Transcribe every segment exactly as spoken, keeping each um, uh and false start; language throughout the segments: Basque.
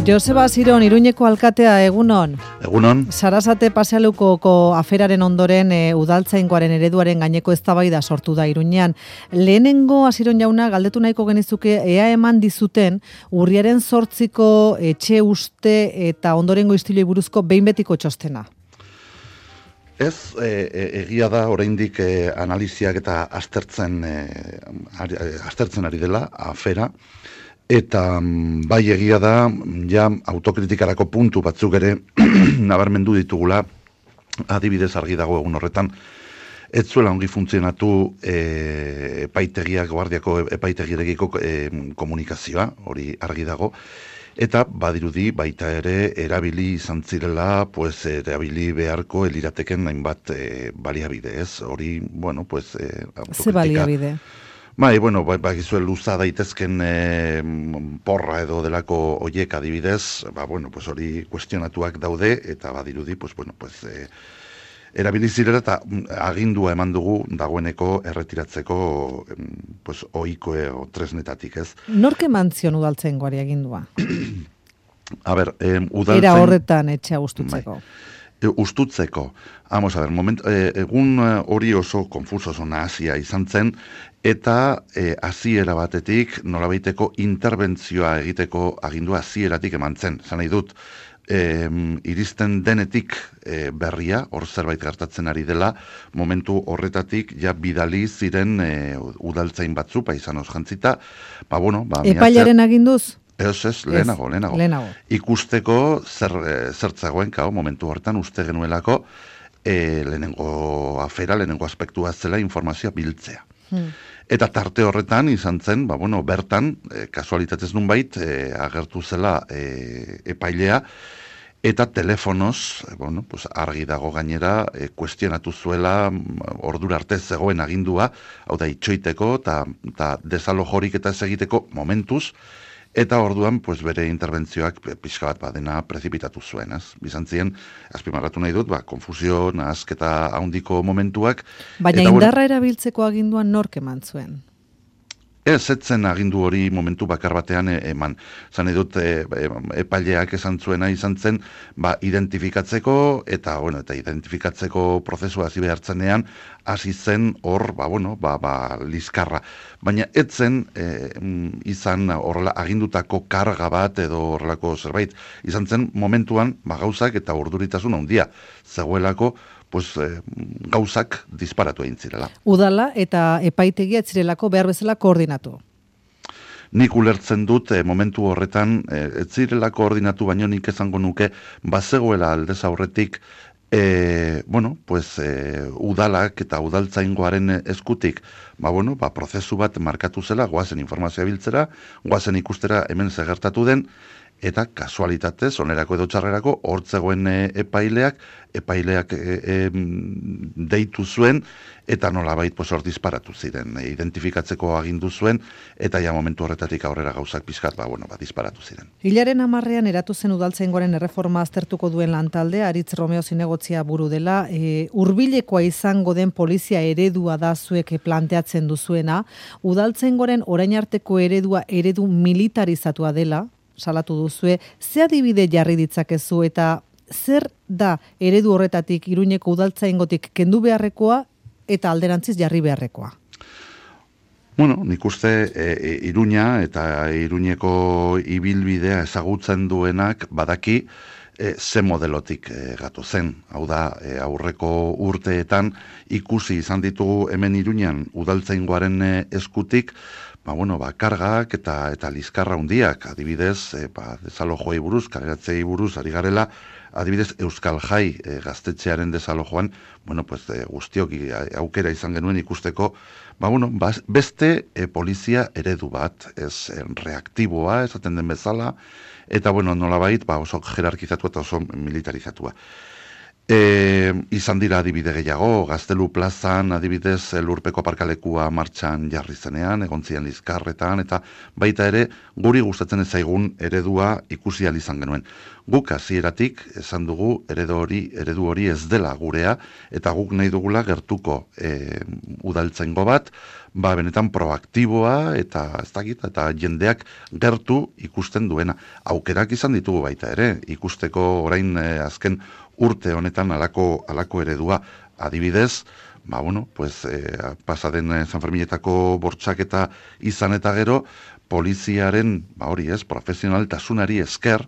Joseba Ziron, Iruñeko alkatea, egunon. Egunon. Sarasate pasealukoko aferaren ondoren e, udaltzaingoaren ereduaren gaineko eztabaida sortu da Iruñean. Lehenengo Ziron jauna galdetu nahiko genizuke ea eman dizuten urriaren zortziko etxe uste eta ondorengo istiloi buruzko behin betiko txostena. Ez, e, e, egia da oraindik e, analiziak eta aztertzen, e, ari, aztertzen ari dela afera. Eta bai egia da, ja autokritikarako puntu batzuk ere nabarmendu ditugula, adibidez argi dago egun horretan, ez zuela ongi funtzionatu e, epaitegiak, guardiako epaitegirekiko e, komunikazioa, hori argi dago, eta badirudi baita ere erabili izan zirela, pues erabili beharko elirateken hainbat e, baliabide, ez? Hori, bueno, pues e, autokritika. Ze baliabide? Bai, bueno, bai, bai, gizue luza daitezken e, porra edo delako oiek adibidez, ba, bueno, pues hori kuestionatuak daude, eta badirudi, pues, bueno, pues, e, erabilizirela eta agindua eman dugu dagoeneko erretiratzeko, pues, oiko e, o tresnetatik, ez? Nork eman zion udaltzaingoari agindua? A ber, e, udaltzain... Era horretan etxea ustutzeko. Bai. E, ustutzeko. Vamos a ver, moment, e, egun hori oso konfuso, oso nahasia izan zen, eta e, hasiera batetik nolabaiteko interbentzioa egiteko agindua hasieratik eman zen. Zan nahi dut, e, iristen denetik e, berria, hor zerbait gertatzen ari dela, momentu horretatik ja bidali ziren e, udaltzain batzu, paisanoz jantzita, ba bueno, ba... Epailaren aginduz? Ez, ez, lehenago, lehenago. lehenago. Ikusteko zer, zertzagoen, kao, momentu hortan uste genuelako, e, lehenengo afera, lehenengo aspektua zela informazioa biltzea. Hmm. Eta tarte horretan izan zen, ba, bueno, bertan, e, kasualitatez nunbait, e, agertu zela e, epailea, eta telefonoz, e, bueno, pues argi dago gainera, e, kuestionatu zuela ordura arte zegoen agindua, hau da, itxoiteko, eta desalojorik eta ez egiteko momentuz, eta orduan, pues, bere interbentzioak pixka bat badena prezipitatu zuen, ez? Bizantzien, azpimarratu nahi dut, ba, konfusio, nahazketa handiko momentuak. Baina eta, indarra bueno, erabiltzeko aginduan nork eman zuen? Ez, etzen agindu hori momentu bakar batean eman. Zan edut, e, epaileak esan zuena izan zen, ba, identifikatzeko, eta, bueno, eta identifikatzeko prozesua hasi behartzenean, hasi zen hor, ba, bueno, ba, ba, liskarra. Baina etzen e, izan horrela agindutako karga bat edo horrelako zerbait. Izan zen momentuan, ba, gauzak eta urduritasun handia zegoelako, pues, eh, gauzak disparatu egin zirela. Udala eta epaitegia ez zirelako behar bezala koordinatu. Nik ulertzen dut eh, momentu horretan eh, ez zirela koordinatu, baino nik esango nuke bazegoela aldez aurretik eh, bueno, pues, eh, udalak eta udaltzaingoaren eskutik, ba, bueno, ba, prozesu bat markatu zela, goazen informazioa biltzera, goazen ikustera hemen zegertatu den, eta kasualitatez, onerako edo txarrerako, hortzegoen e, epaileak, epaileak e, e, deitu zuen, eta nolabait pues, hor disparatu ziren, e, identifikatzeko agindu zuen, eta ja momentu horretatik aurrera gauzak pixkat, ba, bueno, ba, disparatu ziren. Hilaren hamarrean eratu zen udaltzaingoaren erreforma aztertuko duen lantalde, Aritz Romeo zinegotzia buru dela, e, hurbilekoa izango den polizia eredua da zuek planteatzen duzuena, udaltzaingoaren orain arteko eredua eredu militarizatua dela, salatu duzue, ze adibide jarri ditzakezu eta zer da eredu horretatik Iruñeko udaltzaingotik kendu beharrekoa eta alderantziz jarri beharrekoa? Bueno, nik uste e, Iruña eta Iruñeko ibilbidea ezagutzen duenak badaki e, ze modelotik e, gatu zen. Hau da, e, aurreko urteetan ikusi izan ditugu hemen Iruñan udaltzaingoaren e, eskutik, ba, bueno, ba, kargak eta eta liskarra hundiak, adibidez, e, ba, desalojoi buruz, kaleratzei buruz, ari garela, adibidez, Euskal Jai e, gaztetxearen desalojoan, bueno, pues, e, guztiok aukera izan genuen ikusteko, ba, bueno, ba, beste e, polizia eredu bat, ez e, reaktiboa, esaten den bezala, eta, bueno, nolabait, ba, oso jerarkizatu eta oso militarizatua. E, izan dira adibide gehiago, Gaztelu plazan adibidez lurpeko aparkalekua martxan jarri zenean, egon ziren lizkarretan, eta baita ere guri gustatzen ez zaigun eredua ikusi ahal izan genuen. Guk hasieratik esan dugu eredu hori, eredu hori ez dela gurea, eta guk nahi dugula gertuko e, udaltzaingo bat, ba benetan proaktiboa eta ez dakit, eta jendeak gertu ikusten duena. Aukerak izan ditugu baita ere, ikusteko orain eh, azken urte honetan alako, alako eredua. Adibidez, ba bueno, pues eh, pasaden eh, San Ferminetako bortxaketa izan eta gero, poliziaren, ba hori ez, profesionaltasunari esker,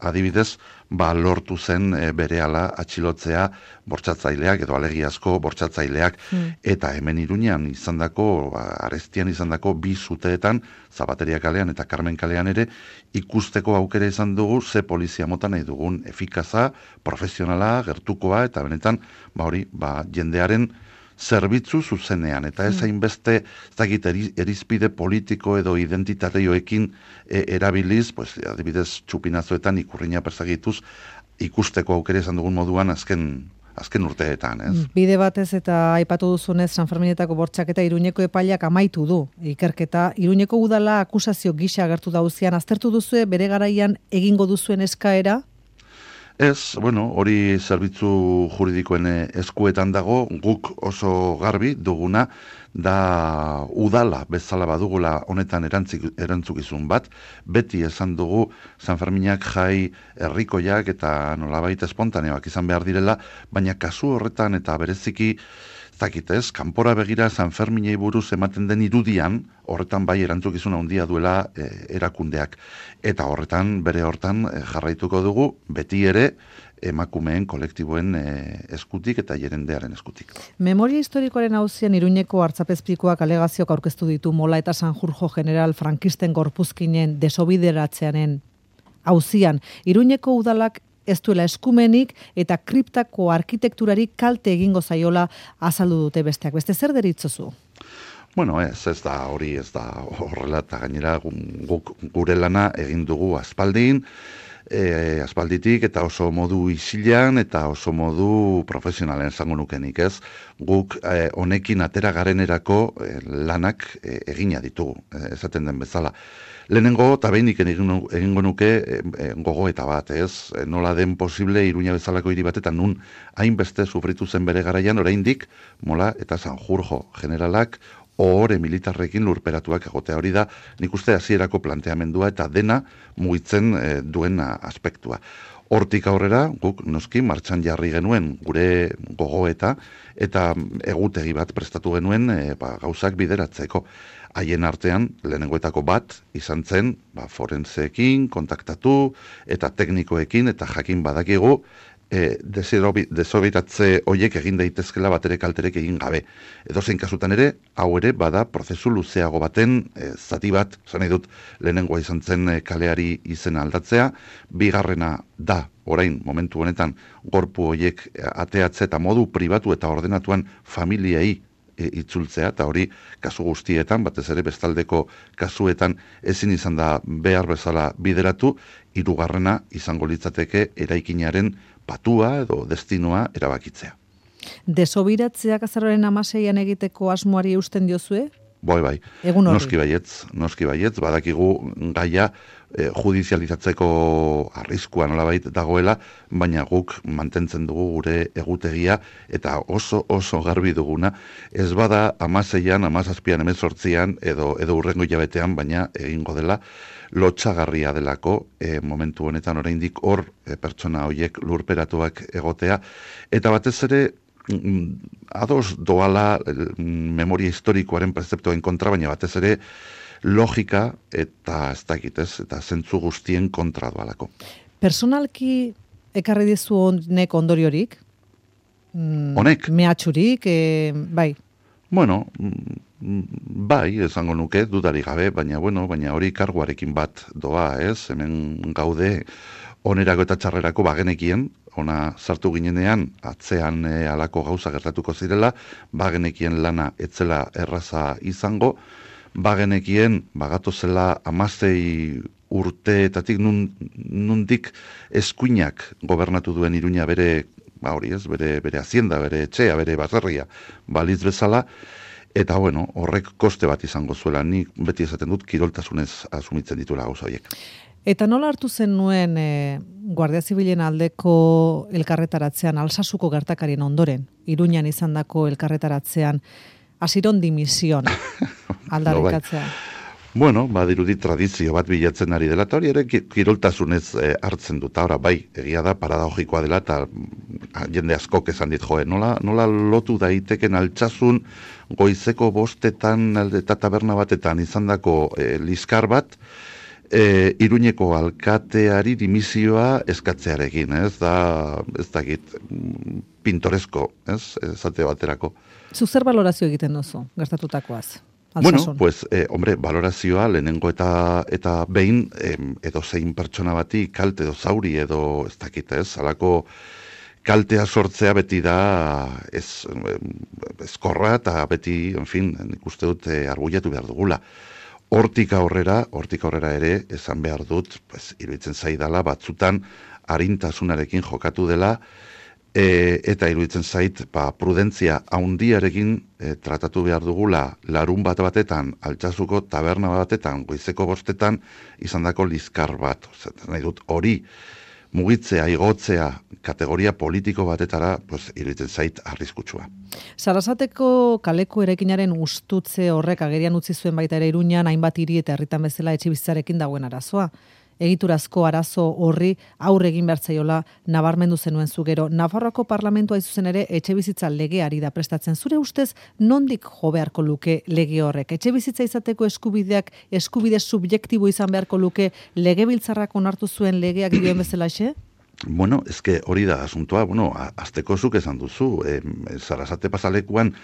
adibidez, ba lortu zen e, berehala atxilotzea bortxatzaileak edo alegiazko bortxatzaileak mm. eta hemen Iruñean izandako, ba, Arestian izandako bi zuteetan, Zabateria kalean eta Carmen kalean ere, ikusteko aukera izan dugu ze polizia mota nahi dugun, efikaza, profesionala, gertukoa, eta benetan, ba hori, ba jendearen zerbitzu zuzenean, eta ez hainbeste, ez dakit, erizpide politiko edo identitarioekin e, erabiliz, pues, adibidez, txupinazoetan ikurriña persagituz, ikusteko aukera izan dugun moduan azken, azken urteetan, ez? Bide batez eta aipatu duzunez San Ferminetako bortxaketa Iruñeko epaileak amaitu du ikerketa. Iruñeko udala akusazio gisa agertu dauzian, aztertu duzue bere garaian egingo duzuen eskaera? Ez, bueno, hori zerbitzu juridikoen eskuetan dago, guk oso garbi duguna, da udala bezala badugula honetan erantzik, erantzukizun bat, beti esan dugu San Ferminak jai herrikoiak eta nolabait espontaneoak izan behar direla, baina kasu horretan eta bereziki zakitez, kanpora begira San Ferminei buruz ematen den irudian, horretan bai erantzukizuna handia duela e, erakundeak. Eta horretan, bere hortan e, jarraituko dugu, beti ere emakumeen kolektiboen e, eskutik eta jerendearen eskutik. Memoria historikoaren auzian Iruñeko hartzapezpikoak alegazioak aurkeztu ditu Mola eta Sanjurjo general frankisten gorpuzkinen desobideratzearen auzian. Iruñeko udalak ez duela eskumenik eta kriptako arkitekturari kalte egingo zaiola azaldu dute besteak. Beste zer deritzozu? Bueno, ez, ez da hori, ez da horrela, eta gainera guk gure lana egin dugu aspaldin, e, aspalditik eta oso modu isilean eta oso modu profesionalen esango nukenik, ez? Guk e, honekin atera garenerako e, lanak e, egina ditugu, e, esaten den bezala. Lehenengo, eta behinik egingo nuke e, e, gogo eta bat, ez? E, nola den posible Iruña bezalako hiri batetan nun hainbeste sufritu zen bere garaian, oraindik Mola eta Sanjurjo generalak ohore militarrekin lurperatuak egotea. Hori da, nik uste hasierako planteamendua eta dena mugitzen e, duen aspektua. Hortik aurrera, guk noski martxan jarri genuen gure gogoeta eta egutegi bat prestatu genuen e, ba, gauzak bideratzeko. Haien artean, lehenengoetako bat, izan zen, ba, forenseekin, kontaktatu, eta teknikoekin, eta jakin badakigu, e, desobiratze hoiek egin daitezkela batere kalterek egin gabe. Edozein kasutan ere, hau ere, bada, prozesu luzeago baten, e, zati bat, zan nahi dut, lehenengoa izan zen e, kaleari izena aldatzea, bigarrena da, orain, momentu honetan, gorpu hoiek ateatze eta modu pribatu eta ordenatuan familiei E, itzultzea, eta hori kasu guztietan, batez ere bestaldeko kasuetan ezin izan da behar bezala bideratu, hirugarrena izango litzateke eraikinaren patua edo destinoa erabakitzea. Desobiratzeak azaroaren hamaseian egiteko asmoari eusten diozue? Bai, bai. Egun hori. Noski baietz, noski baietz, badakigu gaia eh, judizializatzeko arriskua nolabait dagoela, baina guk mantentzen dugu gure egutegia eta oso oso garbi duguna, ez bada hamaseian, hamazazpian, hemezortzian edo edo hurrengo hilabetean, baina egingo dela lotsagarria delako e, momentu honetan oraindik hor e, pertsona horiek lurperatuak egotea, eta batez ere ados doala memoria historikoaren prezeptoen kontra, baina batez ere logika eta ez dakitez, eta zentzu guztien kontra doalako. Personalki ekarri dizu honek ondoriorik? Honek? Mehatxurik, e, bai. Bueno, bai, esango nuke, dudarik gabe, baina bueno, baina hori karguarekin bat doa, ez? Hemen gaude onerako eta txarrerako bagenekien, ona sartu ginenean, atzean e, alako gauza gertatuko zirela, bagenekien lana etzela erraza izango, bagenekien bagato zela amazei urteetatik nun, nundik eskuinak gobernatu duen Iruña bere, ba hori ez, bere, bere hazienda, bere etxea, bere baserria, balitz bezala, eta bueno, horrek koste bat izango zuela, nik beti esaten dut kiroltasunez asumitzen dituela gauza horiek. Eta nola hartu zen nuen e, Guardia Zibilen aldeko elkarretaratzean, Alsasuko gertakarien ondoren, Iruñan izandako elkarretaratzean, Asiron dimisión aldarrikatzea. Bueno, badirudi tradizio bat bilatzen ari dela, eta hori ere kiroltasunez eh, hartzen dut. Ora, bai, egia da, paradogikoa dela, eta jende askok esan dit, joe, nola, nola lotu daiteken altsasun goizeko bostetan eta taberna batetan izandako eh, liskar bat, eh, Iruñeko alkateari dimisioa eskatzearekin, ez da, ez da git, pintoresko, ez, esate baterako. Zu zer balorazio egiten duzu, gertatutakoaz? Bueno, pues, eh, hombre, valorazioa lehenengo eta eta behin eh, edo zein pertsona bati kalte edo zauri edo ez dakit ez, alako kaltea sortzea beti da ez, ezkorra eta beti, en fin, nik uste dut eh, argullatu behar dugula. Hortik aurrera, hortik aurrera ere, esan behar dut, pues, iruditzen zaidala batzutan arintasunarekin jokatu dela, E, eta iruditzen zait, ba, prudentzia haundiarekin e, tratatu behar dugula larun bat batetan, Altsasuko taberna batetan, goizeko bostetan, izandako liskar bat. Ozer, nahi dut, hori mugitzea, igotzea, kategoria politiko batetara, pues, iruditzen zait arriskutsua. Sarasateko kaleko erekinaren ustutze horrek agerian utzi zuen baita ere Iruñan, hainbat hiri eta herritan bezala etxebizitzarekin dagoen arazoa. Egiturazko arazo horri aurre egin bertzaiola nabarmendu zenuen zu gero. Nafarroako parlamentua izuzen ere etxebizitza legeari da prestatzen. Zure ustez, nondik jo beharko luke lege horrek? Etxebizitza izateko eskubideak eskubide subjektibo izan beharko luke legebiltzarrak onartu zuen legeak dioen bezalaxe? Bueno, eske hori da asuntoa, bueno, azteko zuk esan duzu, e, Sarasate pasalekuan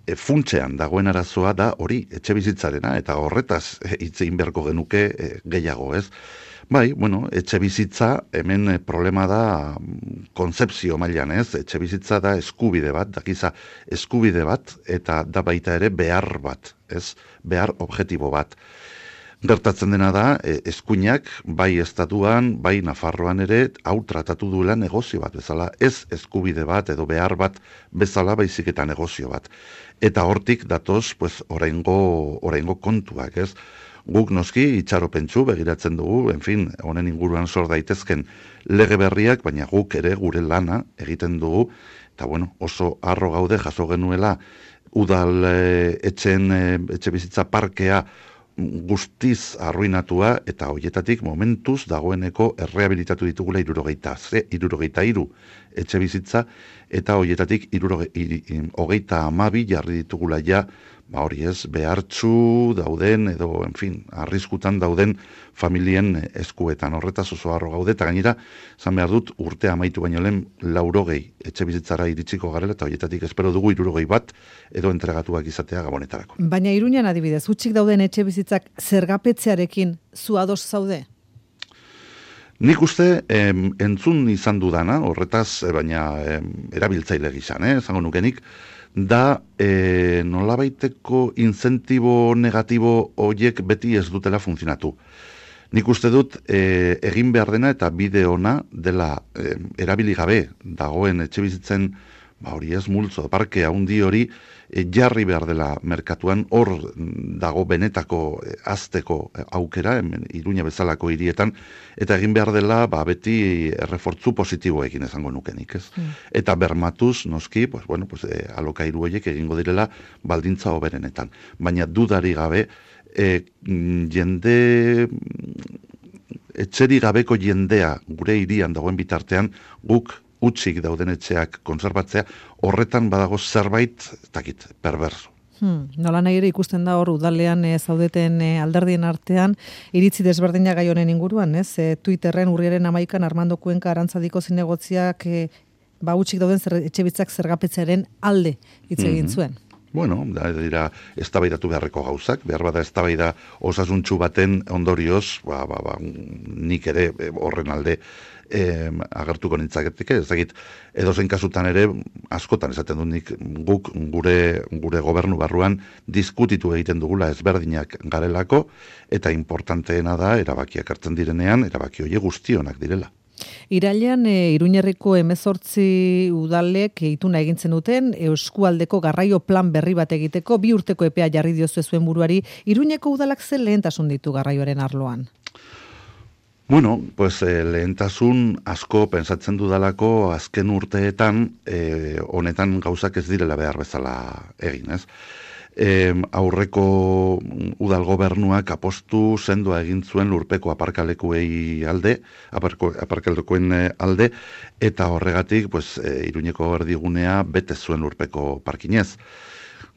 e, funtsean dagoen arazoa da hori etxebizitzarena, eta horretaz hitz egin beharko genuke e, gehiago, ez? Bai, bueno, etxebizitza hemen e, problema da konzepzio mailan, ez? Etxebizitza da eskubide bat, dakiza eskubide bat, eta da baita ere behar bat, ez? Behar objektibo bat. Gertatzen dena da, eskuinak, bai estatuan, bai Nafarroan ere, hau tratatu duela negozio bat bezala, ez eskubide bat edo behar bat bezala baizik eta negozio bat. Eta hortik datoz, pues, oraingo, oraingo kontuak, ez? Guk noski itxaropentsu begiratzen dugu, en fin, honen inguruan sor daitezken lege berriak, baina guk ere gure lana egiten dugu, eta bueno, oso harro gaude jaso genuela udal e, etxen, e, etxe bizitza parkea guztiz arruinatua, eta hoietatik momentuz dagoeneko errehabilitatu ditugula irurogeita, ze, irurogeita iru etxe bizitza, eta hoietatik hogeita amabi jarri ditugula ja, ba hori ez, behartzu dauden, edo, en fin, arriskutan dauden familien eskuetan. Horretaz oso harro gaude, eta gainera, zan behar dut, urte amaitu baino lehen laurogei etxe bizitzara iritsiko garela, eta hoietatik espero dugu irurogei bat, edo entregatuak izatea gabonetarako. Baina Iruñan adibidez, hutsik dauden etxe bizitzak zergapetzearekin zu ados zaude? Nik uste em, entzun izan dudana, horretaz, baina em, erabiltzaile gizan, eh, zango nukenik, da e, nolabaiteko incentibo negatibo horiek beti ez dutela funtzionatu. Nik uste dut e, egin behar dena eta bide ona dela e, erabili gabe dagoen etxe bizitzen, ba hori ez multzo, parke handi hori e, jarri behar dela merkatuan, hor dago benetako e, azteko aukera, hemen Iruña bezalako hirietan, eta egin behar dela ba, beti errefortzu positiboekin esango nukenik, ez? Mm. Eta bermatuz, noski, pues, bueno, pues, e, alokairu horiek egingo direla baldintza hoberenetan. Baina dudari gabe, e, jende, etxeri gabeko jendea gure hirian dagoen bitartean, guk utzik dauden etxeak konserbatzea, horretan badago zerbait, takit, perverso. Hmm, nola nahi ere ikusten da hor udalean e, zaudeten e, alderdien artean, iritzi desberdina gai honen inguruan, ez? E, Twitterren urriaren amaikan Armando Kuenka Arantzadiko zinegotziak e, ba utzik dauden zer, etxebitzak zergapetzearen alde hitz egin zuen. Bueno, da dira eztabaidatu beharreko gauzak, behar bada eztabaida osasuntsu baten ondorioz, ba, ba, ba, nik ere horren alde eh, agertuko nintzaketik, ez dakit, edozein kasutan ere, askotan esaten dut nik guk gure, gure gobernu barruan diskutitu egiten dugula ezberdinak garelako, eta importanteena da, erabakiak hartzen direnean, erabaki horiek guztionak direla. Irailean e, Iruñerriko hemezortzi udalek ituna egintzen duten eskualdeko garraio plan berri bat egiteko bi urteko epea jarri diozu zuen buruari. Iruñeko udalak zen lehentasun ditu garraioaren arloan? Bueno, pues eh, lehentasun asko pentsatzen dudalako azken urteetan eh, honetan gauzak ez direla behar bezala egin, ez? E, aurreko udal gobernuak apostu sendoa egin zuen lurpeko aparkalekuei alde, aparko, aparkalekuen alde, eta horregatik, pues, e, Iruñeko erdigunea bete zuen lurpeko parkinez.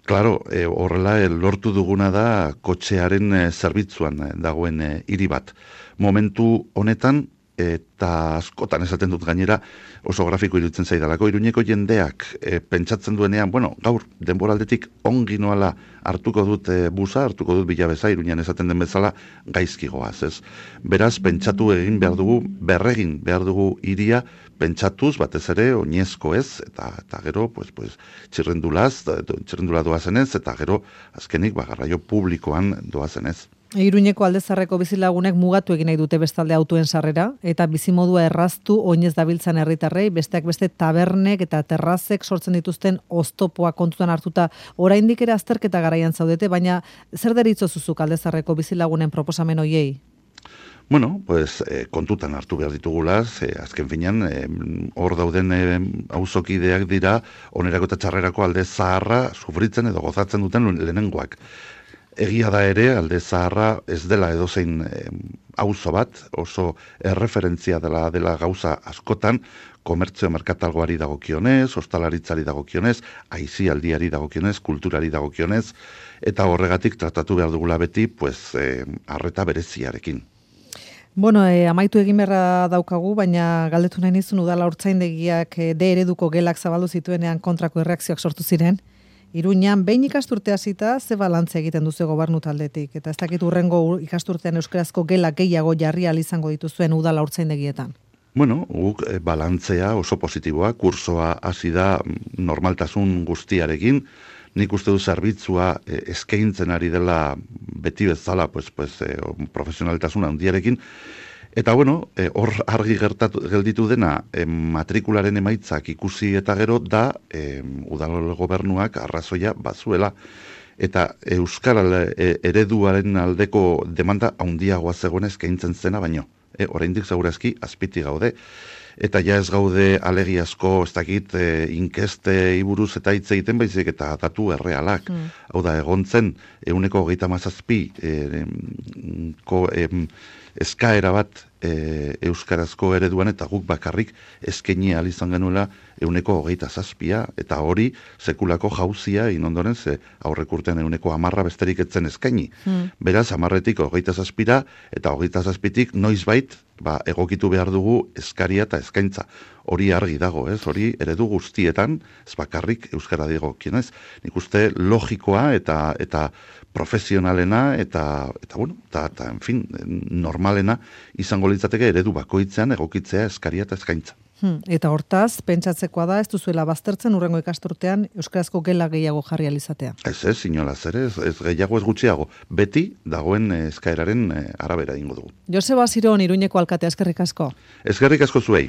Claro, e, horrela e, lortu duguna da kotxearen e, zerbitzuan e, dagoen e, hiri bat. Momentu honetan, eta askotan esaten dut gainera, oso grafiko iruditzen zaidalako, Iruñeko jendeak e, pentsatzen duenean, bueno, gaur denboraldetik ongi noala hartuko dut e, busa, hartuko dut bilabeza, Iruñan esaten den bezala gaizkigoaz, ez? Beraz, pentsatu egin behar dugu, berregin behar dugu iria, pentsatuz, batez ere, oinezko ez, eta, eta gero, pues, pues, txirrendulaz, txirrendula doazenez, eta gero, azkenik, ba, garraio publikoan doazenez. Iruñeko aldezarreko bizilagunek mugatu egin nahi dute bestalde autoen sarrera, eta bizimodua erraztu oinez dabiltzan herritarrei, besteak beste tabernek eta terrazek sortzen dituzten oztopoa kontutan hartuta, oraindik ere azterketa garaian zaudete, baina zer deritzo zuzuk aldezarreko bizilagunen proposamen hoiei? Bueno, pues eh, kontutan hartu behar ditugulaz, eh, azken finean, hor eh, dauden eh, auzokideak dira, onerako eta txarrerako alde zaharra sufritzen edo gozatzen duten lehenengoak. Egia da ere, alde zaharra ez dela edozein eh, auzo bat, oso erreferentzia dela, dela gauza askotan, komertzio merkatalgoari dagokionez, ostalaritzari dagokionez, aisialdiari dagokionez, kulturari dagokionez, eta horregatik tratatu behar dugula beti, pues, eh, arreta bereziarekin. Bueno, eh, amaitu egin beharra daukagu, baina galdetu nahi nizun udala urtzaindegiak eh, de ereduko gelak zabaldu zituenean kontrako erreakzioak sortu ziren. Iruñan, behin ikasturte hasita, ze balantzea egiten duzu gobernu taldetik? Eta ez dakit urrengo ikasturtean euskarazko gelak gehiago jarri ahal izango dituzuen udala urtzaindegietan? Bueno, guk eh, balantzea oso positiboa, kursoa hasi da normaltasun guztiarekin, nik uste du zerbitzua eh, eskaintzen ari dela beti bezala, pues, pues, eh, profesionaltasun handiarekin, eta bueno, hor eh, argi gertatu, gelditu dena, eh, matrikularen emaitzak ikusi eta gero da eh, udal gobernuak arrazoia bazuela, eta euskara eh, ereduaren aldeko demanda handiagoa zegoen eskaintzen zena baino. E, oraindik segurazki azpiti gaude. Eta ja ez gaude alegiazko, ez dakit, e, inkeste iburuz eta hitz egiten baizik eta datu errealak. Mm. Hau da, egontzen, euneko hogeita mazazpi e, ko, e, eskaera bat e, euskarazko ereduan eta guk bakarrik eskaini ahal izan genuela euneko hogeita zazpia, eta hori sekulako jauzia inondoren ze aurrek urtean euneko amarra besterik etzen eskaini. Mm. Beraz, amarretik hogeita zazpira eta hogeita zazpitik noizbait ba, egokitu behar dugu eskaria eta eskaintza. Hori argi dago, ez? Hori eredu guztietan, ez bakarrik euskara digo, kienez? Nik uste logikoa eta eta profesionalena eta, eta bueno, eta, eta, en fin, normalena izango litzateke eredu bakoitzean egokitzea eskaria eta eskaintza. Hmm, eta hortaz, pentsatzekoa da, ez duzuela baztertzen urrengo ikasturtean euskarazko gela gehiago jarri alizatea. Ez ez, inolaz ere, ez, ez gehiago ez gutxiago. Beti dagoen eskaeraren arabera ingo dugu. Joseba Ziron, Iruñeko alkatea, eskerrik asko. Eskerrik asko zuei.